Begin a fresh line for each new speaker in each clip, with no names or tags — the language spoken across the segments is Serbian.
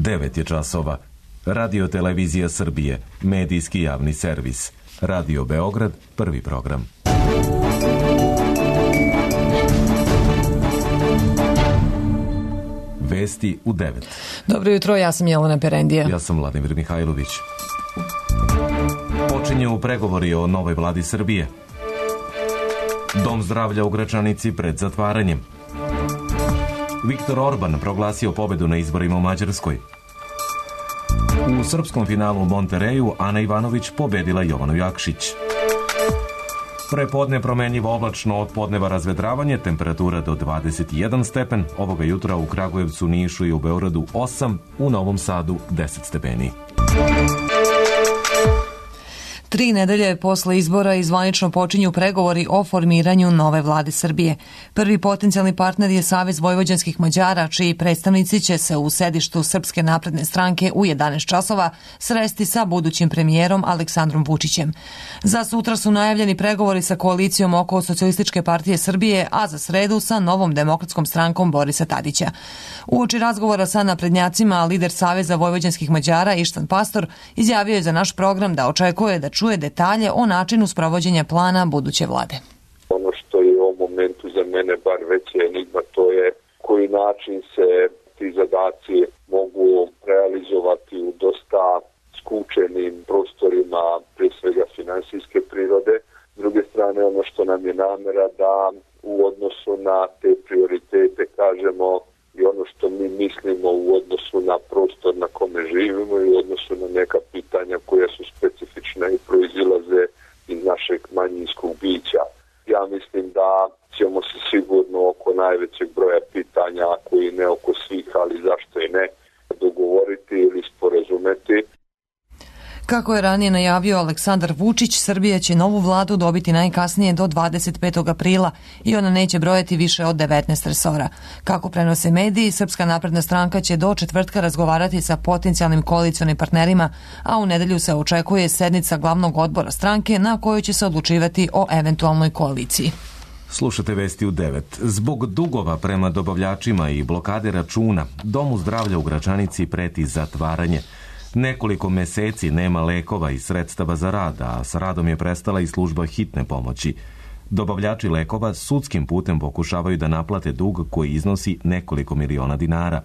9 je časova. Radio Televizija Srbije, medijski javni servis. Radio Beograd, prvi program. Vesti u 9.
Dobro jutro, ja sam Jelena Perendija.
Ja sam Vladimir Mihajlović. Počinju pregovori o novoj vladi Srbije. Dom zdravlja u Gračanici pred zatvaranjem. Viktor Orban proglasio pobedu na izborima u Mađarskoj. U srpskom finalu u Montereju Ana Ivanović pobedila Jovanu Jakšić. Prepodne promenljivo oblačno, od podneva razvedravanje, temperatura do 21 stepen, ovoga jutra u Kragujevcu, Nišu i u Beogradu 8, u Novom Sadu 10 stepeni.
3 nedelje posle izbora zvanično počinju pregovori o formiranju nove vlade Srbije. Prvi potencijalni partner je Savez vojvođanskih Mađara, čiji predstavnici će se u sedištu Srpske napredne stranke u 11 časova sresti sa budućim premijerom Aleksandrom Vučićem. Za sutra su najavljeni pregovori sa koalicijom oko Socijalističke partije Srbije, a za sredu sa Novom demokratskom strankom Borisa Tadića. Uoči razgovora sa naprednjacima, lider Saveza vojvođanskih Mađara Ištvan Pastor izjavio je za naš program da očekuje da čuje detalje o načinu sprovođenja plana buduće vlade.
Ono što je u ovom momentu za mene bar veća enigma, to je koji način se ti zadaci mogu realizovati u dosta skučenim prostorima, prije svega finansijske prirode. S druge strane, ono što nam je namera da u odnosu na te prioritete kažemo i ono što mi mislimo u odnosu na prostor na kome živimo i u odnosu na neka pitanja koja su specifična i proizilaze iz našeg manjinskog bića. Ja mislim da ćemo se sigurno oko najvećeg broja pitanja, koji ne oko svih, ali zašto i ne, dogovoriti ili sporazumeti.
Kako je ranije najavio Aleksandar Vučić, Srbija će novu vladu dobiti najkasnije do 25. aprila i ona neće brojati više od 19 resora. Kako prenose mediji, Srpska napredna stranka će do četvrtka razgovarati sa potencijalnim koalicionim partnerima, a u nedelju se očekuje sednica glavnog odbora stranke na kojoj će se odlučivati o eventualnoj koaliciji.
Slušate vesti u 9. Zbog dugova prema dobavljačima i blokade računa, Domu zdravlja u Gračanici preti zatvaranje. Nekoliko meseci nema lekova i sredstava za rad, a sa radom je prestala i služba hitne pomoći. Dobavljači lekova sudskim putem pokušavaju da naplate dug koji iznosi nekoliko miliona dinara.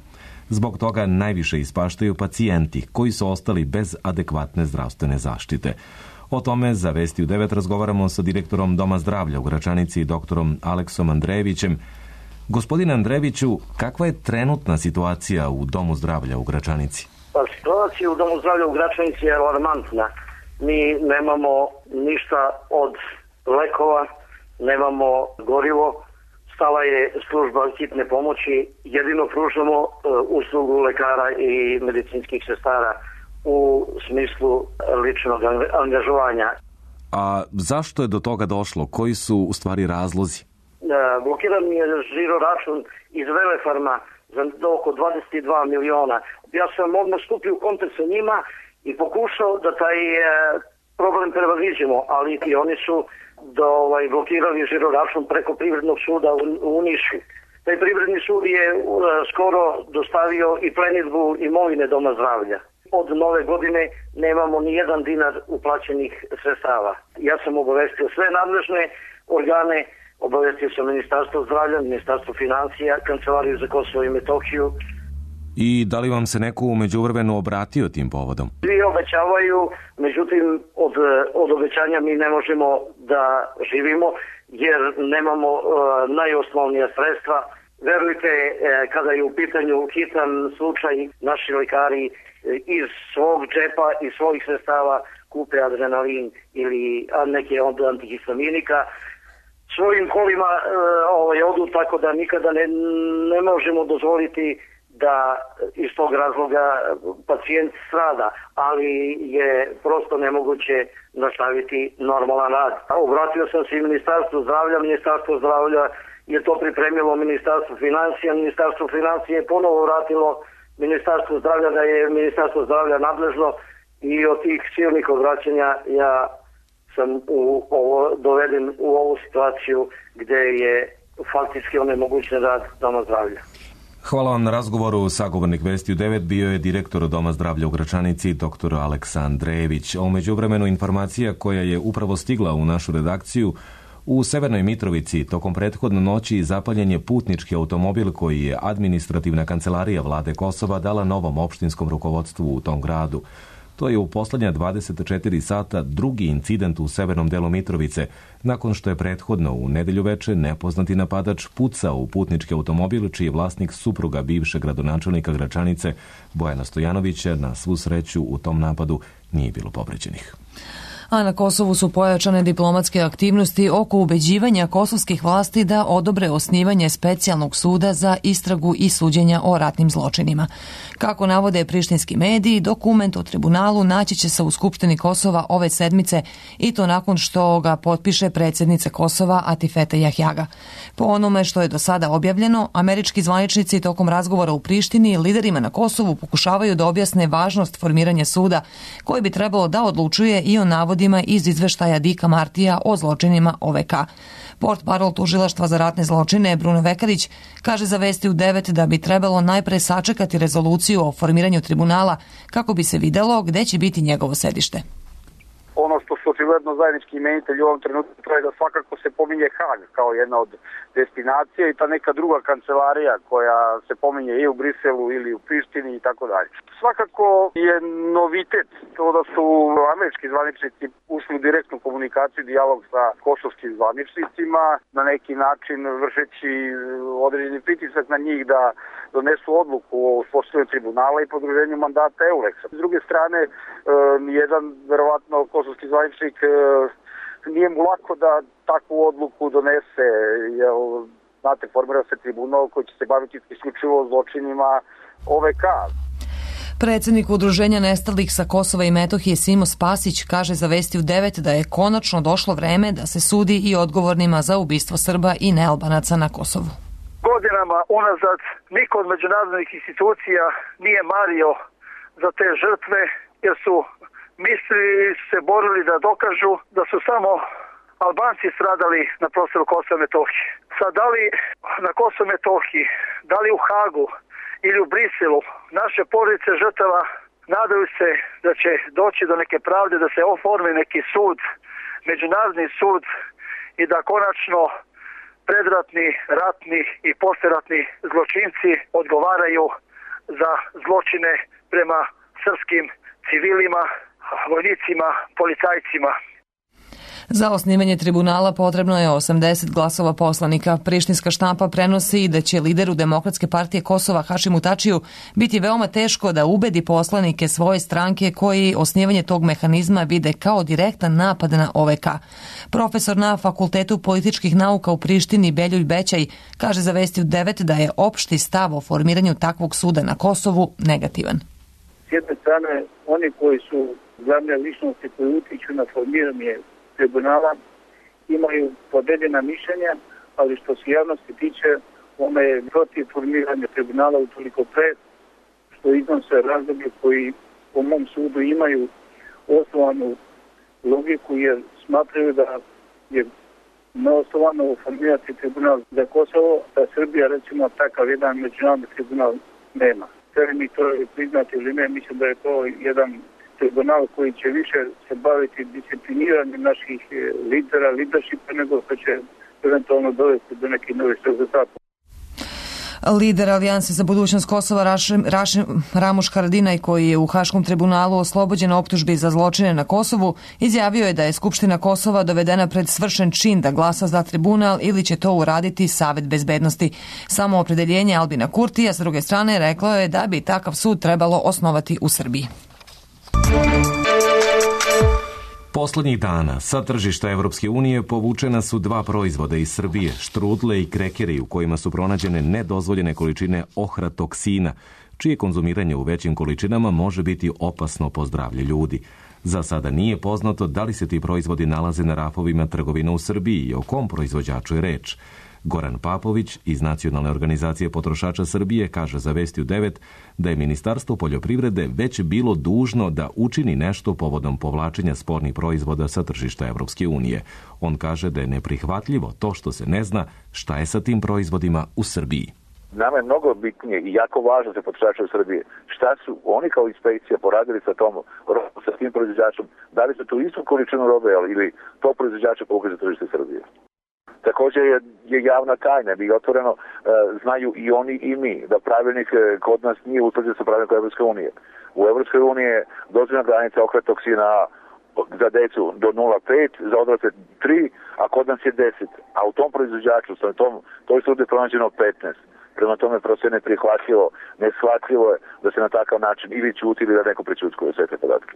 Zbog toga najviše ispaštaju pacijenti koji su ostali bez adekvatne zdravstvene zaštite. O tome za Vesti u 9 razgovaramo sa direktorom Doma zdravlja u Gračanici, doktorom Aleksom Andrejevićem. Gospodine Andrejeviću, kakva je trenutna situacija u Domu zdravlja u Gračanici?
Pa situacija u Domu zdravlja u Gračanici je alarmantna. Mi nemamo ništa od lekova, nemamo gorivo, stala je služba hitne pomoći, jedino pružamo uslugu lekara i medicinskih sestara u smislu ličnog angažovanja.
A zašto je do toga došlo? Koji su u stvari razlozi?
Blokiran je žiro račun iz Velefarma za oko 22 miliona. Ja sam odmah stupio u kontakt sa njima i pokušao da taj problem prevaziđemo, ali i oni su blokirali žiro račun preko Privrednog suda u Nišu. Taj Privredni sud je skoro dostavio i plenidbu imovine Doma zdravlja. Od nove godine nemamo ni jedan dinar uplaćenih sredstava. Ja sam obavestio sve nadležne organe, obavestio sam Ministarstvo zdravlja, Ministarstvo financija, Kancelariju za Kosovo i Metohiju.
I da li vam se neko u međuvremenu obratio tim povodom?
Svi obećavaju, međutim od obećanja mi ne možemo da živimo jer nemamo najosnovnija sredstva. Verujte, kada je u pitanju hitan slučaj, naši lekari iz svog džepa i svojih sredstava kupe adrenalin ili neke od antihistaminika, svojim kolima odu, tako da nikada ne možemo dozvoliti da iz tog razloga pacijent strada, ali je prosto nemoguće nastaviti normalan rad. Obratio sam se i Ministarstvu zdravlja je to pripremilo Ministarstvo financija je ponovo vratilo Ministarstvo zdravlja da je Ministarstvo zdravlja nadležno i od tih silnih obraćanja ja sam doveden u ovu situaciju gde je faktički onemogućen rad Doma zdravlja.
Hvala vam na razgovoru. Sagovornik Vesti u 9 bio je direktor Doma zdravlja u Gračanici, dr. Aleksandrejević. A u međuvremenu informacija koja je upravo stigla u našu redakciju: u Severnoj Mitrovici tokom prethodne noći zapaljen je putnički automobil koji je administrativna kancelarija vlade Kosova dala novom opštinskom rukovodstvu u tom gradu. To je u poslednja 24 sata drugi incident u severnom delu Mitrovice, nakon što je prethodno u nedelju veče nepoznati napadač pucao u putnički automobil čiji je vlasnik supruga bivšeg gradonačelnika Gračanice Bojana Stojanovića. Na svu sreću u tom napadu nije bilo povređenih.
A na Kosovu su pojačane diplomatske aktivnosti oko ubeđivanja kosovskih vlasti da odobre osnivanje specijalnog suda za istragu i suđenja o ratnim zločinima. Kako navode prištinski mediji, dokument o tribunalu naći će se u Skupštini Kosova ove sedmice i to nakon što ga potpiše predsjednica Kosova Atifete Jahjaga. Po onome što je do sada objavljeno, američki zvaničnici tokom razgovora u Prištini liderima na Kosovu pokušavaju da objasne važnost formiranja suda koji bi trebalo da odlučuje i o navodima iz izveštaja Dika Martija o zločinima OVK. Portparol tužilaštva za ratne zločine Bruno Vekarić kaže za Vesti u 9 da bi trebalo najpre sačekati rezoluciju o formiranju tribunala kako bi se videlo gde će biti njegovo sedište.
Ono što su očigledno zajednički imenitelji u ovom trenutku, to je da svakako se pominje Hag kao jedna od destinacija i ta neka druga kancelarija koja se pominje i u Briselu ili u Prištini i tako dalje. Svakako je novitet to da su američki zvaničnici ušli u direktnu komunikaciju, dijalog sa kosovskim zvaničnicima, na neki način vršeći određeni pritisak na njih da donesu odluku o uspostavljanju tribunala i produženju mandata EULEX-a. S druge strane, jedan verovatno kosovski zvaničnik nije mu lako da takvu odluku donese, jer znate, formira se tribunal koji će se baviti isključivo zločinima OVK.
Predsjednik Udruženja nestalih sa Kosova i Metohije Simo Spasić kaže za Vesti u 9 da je konačno došlo vreme da se sudi i odgovornima za ubistvo Srba i nealbanaca na Kosovu.
Godinama unazad niko od međunarodnih institucija nije mario za te žrtve, jer su mislili se borili da dokažu da su samo Albanci stradali na prostoru Kosova i Metohije. Sad, da li na Kosovu i Metohiji, da li u Hagu ili u Briselu, naše porodice žrtava nadaju se da će doći do neke pravde, da se oformi neki sud, međunarodni sud i da konačno predratni, ratni i posleratni zločinci odgovaraju za zločine prema srpskim civilima, vojnicima, policajcima.
Za osnivanje tribunala potrebno je 80 glasova poslanika. Prištinska štampa prenosi da će lideru Demokratske partije Kosova Hašimu Tačiju biti veoma teško da ubedi poslanike svoje stranke koji osnivanje tog mehanizma vide kao direktan napad na OVK. Profesor na Fakultetu političkih nauka u Prištini Beljulj Bećaj kaže za Vesti u 9 da je opšti stav o formiranju takvog suda na Kosovu negativan.
S jedne strane, oni koji su glavne ličnosti koji utiču na formiranje tribunala imaju podeljena mišljenja, ali što se javnosti tiče, ona je protiv formiranja tribunala utoliko pre što iznose razloge koji po mom sudu imaju osnovanu logiku, jer smatraju da je neosnovano formirati tribunal za Kosovo, da Srbija recimo takav jedan međunarodni tribunal nema. Hteli mi to priznati ili ne, mislim da je to jedan tribunal koji će više se baviti discipliniranjem naših lidera, leadershipa, nego što će eventualno dovesti do nekih novih rezultata.
Lider Alijanse za budućnost Kosova Ramuš Haradinaj, koji je u Haškom tribunalu oslobođen optužbi za zločine na Kosovu, izjavio je da je Skupština Kosova dovedena pred svršen čin da glasa za tribunal ili će to uraditi Savet bezbednosti. Samo opredeljenje Albina Kurtija, s druge strane, reklo je da bi takav sud trebalo osnovati u Srbiji.
Poslednjih dana sa tržišta Evropske unije povučena su 2 proizvoda iz Srbije, štrudle i krekeri u kojima su pronađene nedozvoljene količine ohratoksina, čije konzumiranje u većim količinama može biti opasno po zdravlje ljudi. Za sada nije poznato da li se ti proizvodi nalaze na rafovima trgovina u Srbiji i o kom proizvođaču je reč. Goran Papović iz Nacionalne organizacije potrošača Srbije kaže za Vesti u 9 da je Ministarstvo poljoprivrede već bilo dužno da učini nešto povodom povlačenja spornih proizvoda sa tržišta Evropske unije. On kaže da je neprihvatljivo to što se ne zna šta je sa tim proizvodima u Srbiji.
Nama je mnogo bitnije i jako važno za potrošače u Srbiji šta su oni kao inspekcija poradili sa sa tim proizvođačem, da li su tu istu količinu robe ili to proizvođača povukli za tržište Srbije. Također je javna tajna, bi otvoreno znaju i oni i mi, da pravilnik kod nas nije utvrđen sa pravilnikom Evropske unije. U Evropskoj uniji je dozvoljena granica ohratoksina za decu do 0,5, za odrasle 3, a kod nas je 10. A u tom proizvođaču, toj studiji je pronađeno 15. Prema tome prosto je neprihvatljivo, neshvatljivo je da se na takav način ili ćuti ili da neko prećutkuje sve te podatke.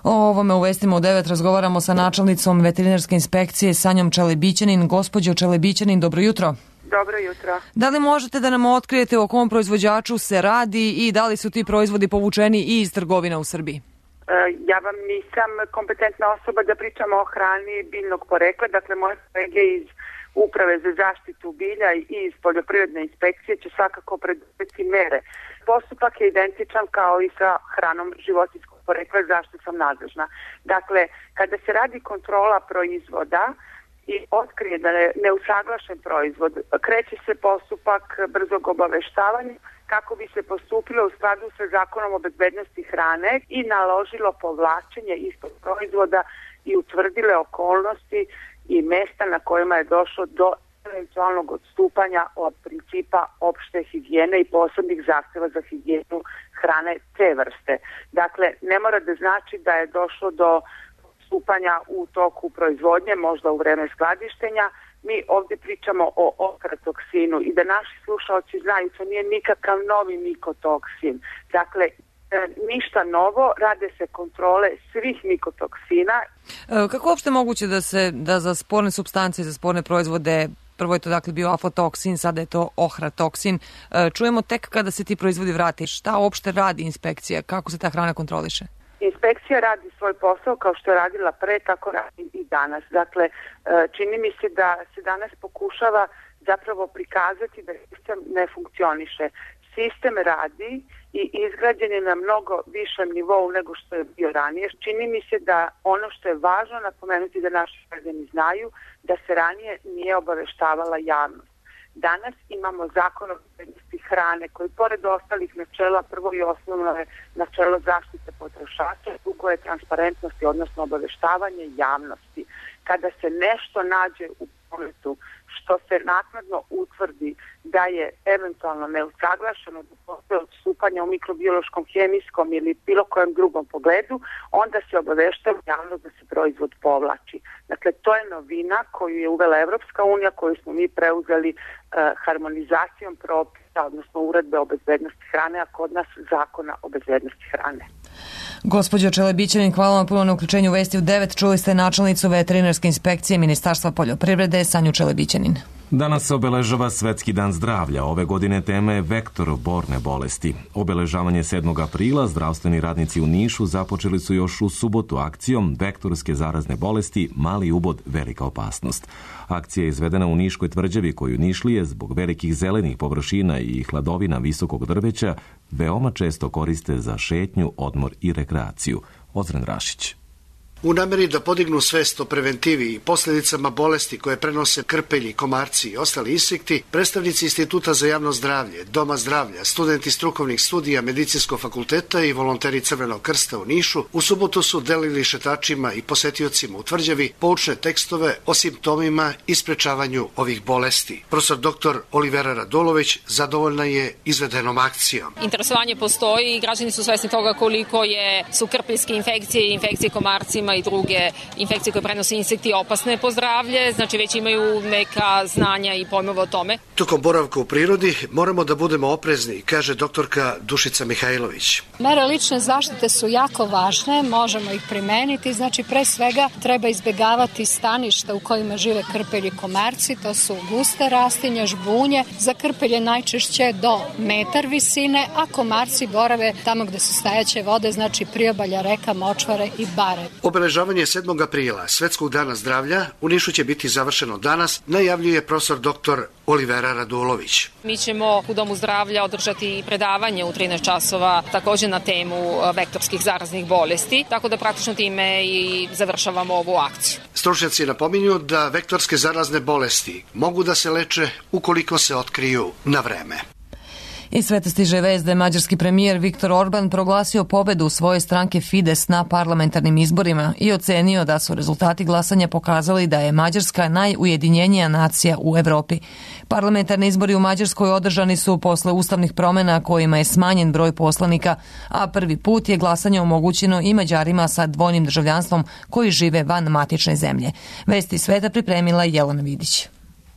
O ovome u Vestima u 9 razgovaramo sa načelnicom veterinarske inspekcije Sanjom Čelebićanin. Gospođo Čelebićanin, dobro jutro.
Dobro jutro.
Da li možete da nam otkrijete o kom proizvođaču se radi i da li su ti proizvodi povučeni i iz trgovina u Srbiji?
Ja vam nisam kompetentna osoba da pričamo o hrani biljnog porekla, dakle moje kolege iz Uprave za zaštitu bilja i iz poljoprivredne inspekcije će svakako preduzeti mere. Postupak je identičan kao i sa hranom životinjskog porekla, zašto sam nadležna. Dakle, kada se radi kontrola proizvoda i otkrije da je neusaglašen proizvod, kreće se postupak brzog obaveštavanja kako bi se postupilo u skladu sa Zakonom o bezbednosti hrane i naložilo povlačenje istog proizvoda i utvrdile okolnosti i mesta na kojima je došlo do eventualnog odstupanja od principa opšte higijene i posebnih zahteva za higijenu hrane te vrste. Dakle, ne mora da znači da je došlo do odstupanja u toku proizvodnje, možda u vreme skladištenja. Mi ovdje pričamo o ohratoksinu i da naši slušalci znaju, to nije nikakav novi mikotoksin. Dakle, ništa novo, rade se kontrole svih mikotoksina.
Kako uopšte moguće da za sporne supstance, za sporne proizvode, prvo je to dakle bio aflatoksin, sada je to ohratoksin, čujemo tek kada se ti proizvodi vrati. Šta uopšte radi inspekcija? Kako se ta hrana kontroliše?
Inspekcija radi svoj posao kao što je radila pre, tako radi i danas. Dakle, čini mi se da se danas pokušava zapravo prikazati da sistem ne funkcioniše. Sistem radi i izgrađen je na mnogo višem nivou nego što je bio ranije. Čini mi se da ono što je važno napomenuti da naši građani znaju da se ranije nije obaveštavala javnost. Danas imamo Zakon o bezbednosti hrane koji pored ostalih načela, prvo i osnovno je načelo zaštite potrošača, drugo je transparentnosti, odnosno obaveštavanje javnosti. Kada se nešto nađe u prometu što se naknadno utvrdi da je eventualno neusaglašeno, da postoje odstupanja u mikrobiološkom, hemijskom ili bilo kojem drugom pogledu, onda se obaveštava javnost da se proizvod povlači. Dakle, to je novina koju je uvela Evropska unija, koju smo mi preuzeli harmonizacijom propisa, odnosno uredbe o bezbednosti hrane, a kod nas Zakona o bezbednosti hrane.
Gospođo Čelebićanin, hvala vam puno na uključenju u Vesti u 9. Čuli ste načelnicu veterinarske inspekcije Ministarstva poljoprivrede Sanju Čelebićanin.
Danas se obeležava Svetski dan zdravlja. Ove godine tema je vektor borne bolesti. Obeležavanje 7. aprila zdravstveni radnici u Nišu započeli su još u subotu akcijom Vektorske zarazne bolesti, mali ubod, velika opasnost. Akcija je izvedena u Niškoj tvrđavi koju Nišlije zbog velikih zelenih površina i hladovina visokog drveća veoma često koriste za šetnju, odmor i rekreaciju. Ozren Rašić.
U nameri da podignu svest o preventivi i posljedicama bolesti koje prenose krpelji, komarci i ostali insekti, predstavnici Instituta za javno zdravlje, Doma zdravlja, studenti strukovnih studija Medicinskog fakulteta i volonteri Crvenog krsta u Nišu u subotu su delili šetačima i posetiocima u tvrđavi poučne tekstove o simptomima i sprečavanju ovih bolesti. Profesor dr. Olivera Radulović zadovoljna je izvedenom akcijom.
Interesovanje postoji i građani su svesni toga koliko su krpeljske infekcije i infekcije komarcima i druge infekcije koje prenose insekti opasne po zdravlje, znači već imaju neka znanja i pojmove o tome.
Tokom boravka u prirodi moramo da budemo oprezni, kaže doktorka Dušica Mihajlović.
Mere lične zaštite su jako važne, možemo ih primeniti, znači pre svega treba izbjegavati staništa u kojima žive krpelji komarci, to su guste rastinja, žbunje, za krpelje najčešće do metar visine, a komarci borave tamo gde su stajaće vode, znači priobalja, reka, močvare i bare.
Obeležavanje 7. aprila, Svetskog dana zdravlja, u Nišu će biti završeno danas, najavljuje profesor dr. Olivera Radulović.
Mi ćemo u Domu zdravlja održati i predavanje u 13 časova također na temu vektorskih zaraznih bolesti, tako da praktično time i završavamo ovu akciju.
Stručnjaci napominju da vektorske zarazne bolesti mogu da se leče ukoliko se otkriju na vreme.
Iz sveta stiže vest da je mađarski premijer Viktor Orban proglasio pobedu svoje stranke Fides na parlamentarnim izborima i ocenio da su rezultati glasanja pokazali da je Mađarska najujedinjenija nacija u Evropi. Parlamentarni izbori u Mađarskoj održani su posle ustavnih promjena kojima je smanjen broj poslanika, a prvi put je glasanje omogućeno i Mađarima sa dvojnim državljanstvom koji žive van matične zemlje. Vesti sveta pripremila Jelena Vidić.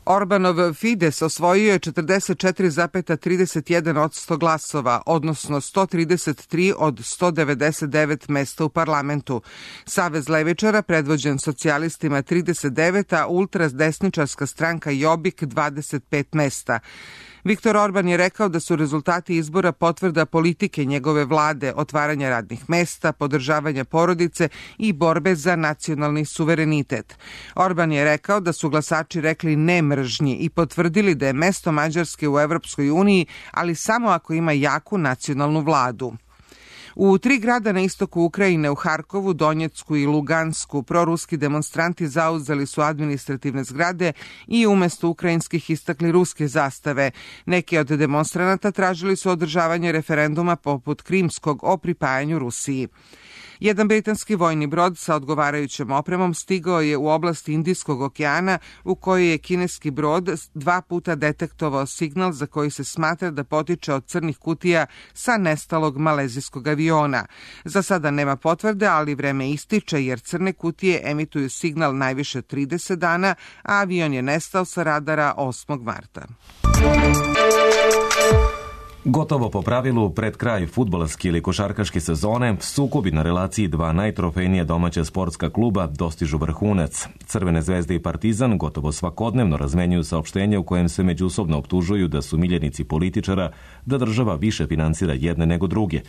Orbanov Fides osvojio je 44,31% glasova, odnosno 133 od 199 mesta u parlamentu. Savez levičara, predvođen socijalistima 39, a ultradesničarska stranka Jobbik 25 mesta. Viktor Orban je rekao da su rezultati izbora potvrda politike njegove vlade, otvaranja radnih mesta, podržavanja porodice i borbe za nacionalni suverenitet. Orban je rekao da su glasači rekli ne mržnji i potvrdili da je mesto Mađarske u Evropskoj uniji, ali samo ako ima jaku nacionalnu vladu. U 3 grada na istoku Ukrajine, u Harkovu, Donjecku i Lugansku, proruski demonstranti zauzeli su administrativne zgrade i umesto ukrajinskih istakli ruske zastave. Neki od demonstranata tražili su održavanje referenduma poput krimskog o pripajanju Rusiji. Jedan britanski vojni brod sa odgovarajućom opremom stigao je u oblasti Indijskog okeana u kojoj je kineski brod 2 puta detektovao signal za koji se smatra da potiče od crnih kutija sa nestalog malezijskog aviona. Za sada nema potvrde, ali vreme ističe jer crne kutije emituju signal najviše 30 dana, a avion je nestao sa radara 8. marta.
Gotovo po pravilu, pred kraj fudbalske ili košarkaške sezone, sukobi na relaciji dva najtrofejnija domaća sportska kluba dostižu vrhunac. Crvene zvezde i Partizan gotovo svakodnevno razmenjuju saopštenje u kojem se međusobno optužuju da su miljenici političara, da država više finansira jedne nego druge.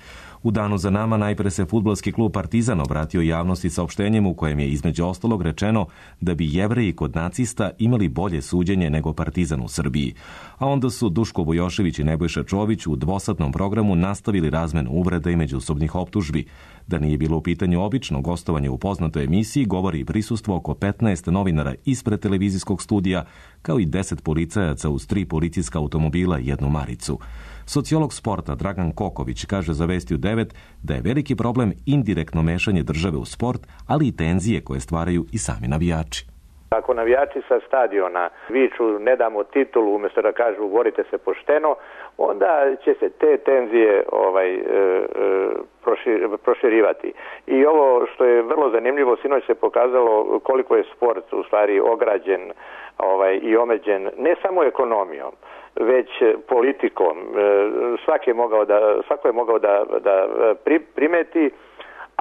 U danu za nama najpre se fudbalski klub Partizan obratio javnosti saopštenjem u kojem je između ostalog rečeno da bi Jevreji kod nacista imali bolje suđenje nego Partizan u Srbiji. A onda su Duško Vujošević i Nebojša Čović u dvosatnom programu nastavili razmenu uvreda i međusobnih optužbi. Da nije bilo u pitanju obično gostovanje u poznatoj emisiji, govori i prisustvo oko 15 novinara ispred televizijskog studija, kao i 10 policajaca uz 3 policijska automobila i 1 maricu. Sociolog sporta Dragan Koković kaže za Vesti u 9 da je veliki problem indirektno mešanje države u sport, ali i tenzije koje stvaraju i sami navijači.
Ako navijači sa stadiona viču ne damo titulu umjesto da kažu borite se pošteno, onda će se te tenzije proširivati. I ovo što je vrlo zanimljivo, sinoć se pokazalo koliko je sport u stvari ograđen i omeđen ne samo ekonomijom, već politikom. Svako je mogao da primeti,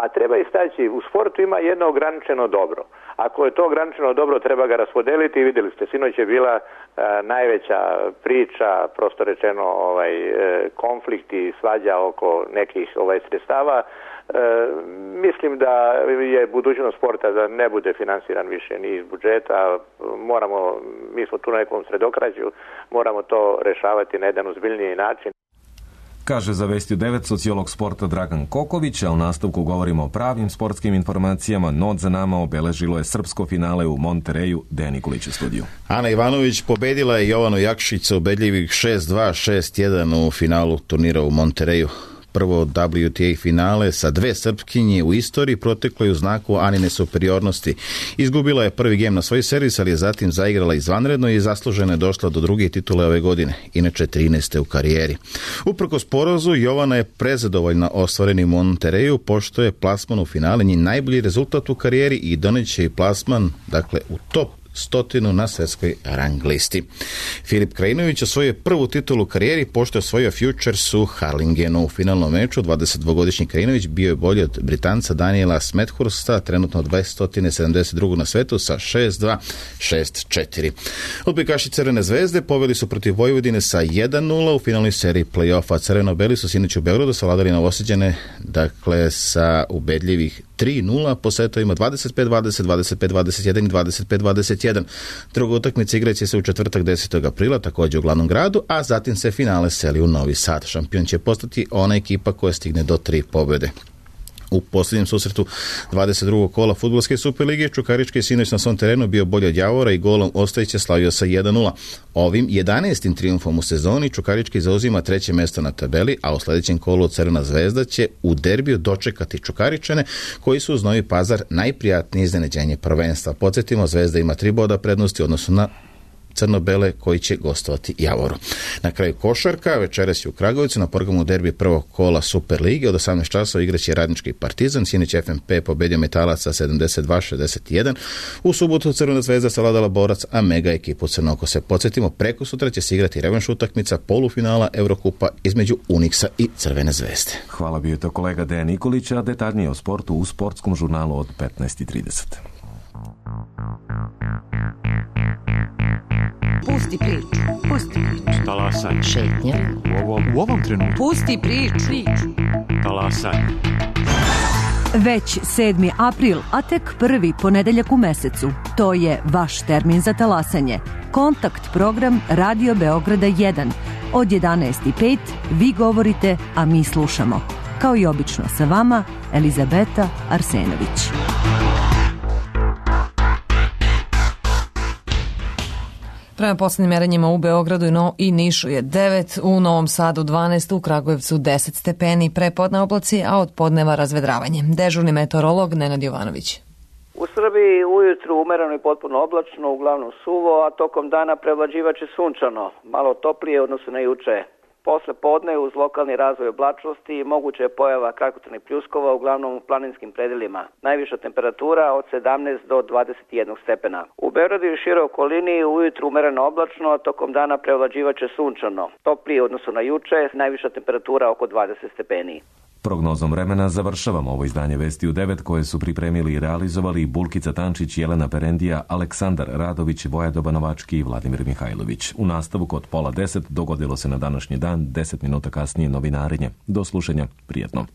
a treba istaći, u sportu ima jedno ograničeno dobro. Ako je to ograničeno dobro, treba ga raspodeliti i vidjeli ste, sinoć je bila najveća priča, prosto rečeno konflikt i svađa oko nekih sredstava. Mislim da je budućnost sporta da ne bude finansiran više ni iz budžeta. Mi smo tu na nekom sredokrađu, moramo to rešavati na jedan ozbiljniji način.
Kaže za Vesti u 9 sociolog sporta Dragan Koković, a u nastavku govorimo o pravim sportskim informacijama. Noć za nama obeležilo je srpsko finale u Montereju. Dejan Nikolić u studiju.
Ana Ivanović pobedila je Jovanu Jakšić sa ubedljivih 6-2, 6-1 u finalu turnira u Montereju. Prvo WTA finale sa 2 Srpkinje u istoriji proteklo je u znaku Anine superiornosti. Izgubila je prvi gem na svoj servis, ali je zatim zaigrala izvanredno i zasluženo je došla do druge titule ove godine, inače 13. u karijeri. Uprkos porazu, Jovana je prezadovoljna ostvarenim u Montereju, pošto je plasman u finale njen najbolji rezultat u karijeri i doneće i plasman, dakle, u top 100 na svjetskoj rang listi. Filip Krajinović osvojio prvu titulu u karijeri pošto je osvojio Futures u Harlingenu. U finalnom meču 22-godišnji Krajinović bio je bolji od Britanca Daniela Smethursta, trenutno 272. na svetu sa 6-2, 6-4. Odbojkaši Crvene zvezde poveli su protiv Vojvodine sa 1-0 u finalnoj seriji play-offa. Crveno-beli su sinoć u Beogradu savladali Novosađane, dakle sa ubedljivih 3-0 po setovima 25-20, 25-21 i 25-21. Druga utakmica igraće se u četvrtak 10. aprila, također u glavnom gradu, a zatim se finale seli u Novi Sad. Šampion će postati ona ekipa koja stigne do 3 pobjede. U posljednjem susretu 22. kola fudbalske Superlige Čukarički sinoć na svom terenu bio bolji od Javora i golom Ostojića slavio sa 1-0. Ovim 11. trijumfom u sezoni Čukarički zauzima 3. mjesto na tabeli, a u sljedećem kolu Crvena zvezda će u derbiju dočekati Čukaričane koji su uz Novi Pazar najprijatnije iznenađenje prvenstva. Podsjetimo, Zvezda ima 3 boda prednosti u odnosu na crno-bele koji će gostovati Javoru. Na kraju košarka, večeras je u Kragujevcu na programu derbi prvog kola Super lige. Od 18 časova igraće Radnički Partizan, sinoć FNP pobedio Metalac sa 72-61. U subotu Crvena zvezda savladala Borac, a mega ekipu Crnokose. Podsjetimo, preko sutra će se igrati revanš utakmica polufinala Eurokupa između Uniksa i Crvene zvezde.
Hvala, bio to kolega Dejan Nikolić, a detaljnije o sportu u sportskom žurnalu od 15:30.
Pusti priču. Pusti priču.
Talasanje.
Šetnja.
U ovom trenutku.
Pusti priču.
Talasanje.
Već 7. april, a tek prvi ponedeljak u mesecu. To je vaš termin za talasanje. Kontakt program Radio Beograda 1. Od 11:05 vi govorite, a mi slušamo. Kao i obično sa vama, Elizabeta Arsenović.
Prema posljednjim merenjima u Beogradu i Nišu je 9, u Novom Sadu 12, u Kragujevcu 10 stepeni, prepodne oblaci, a od podneva razvedravanje. Dežurni meteorolog Nenad Jovanović.
U Srbiji ujutru umereno i potpuno oblačno, uglavnom suvo, a tokom dana prevlađivaće sunčano, malo toplije odnosno na juče. Posle podne uz lokalni razvoj oblačnosti moguća je pojava kratkotrajnih pljuskova uglavnom u planinskim predelima. Najviša temperatura od 17 do 21 stepena. U Beogradu i široj okolini ujutru umereno oblačno, a tokom dana prevlađivaće sunčano. Toplije odnosno na juče, najviša temperatura oko 20 stepeni.
Prognozom vremena završavamo ovo izdanje Vesti u 9 koje su pripremili i realizovali Bulkica Tančić, Jelena Perendija, Aleksandar Radović, Vojadoba Novački i Vladimir Mihajlović. U nastavu kod 9:30 dogodilo se na današnji dan, 10 minuta kasnije novinarenje. Do slušanja, prijetno.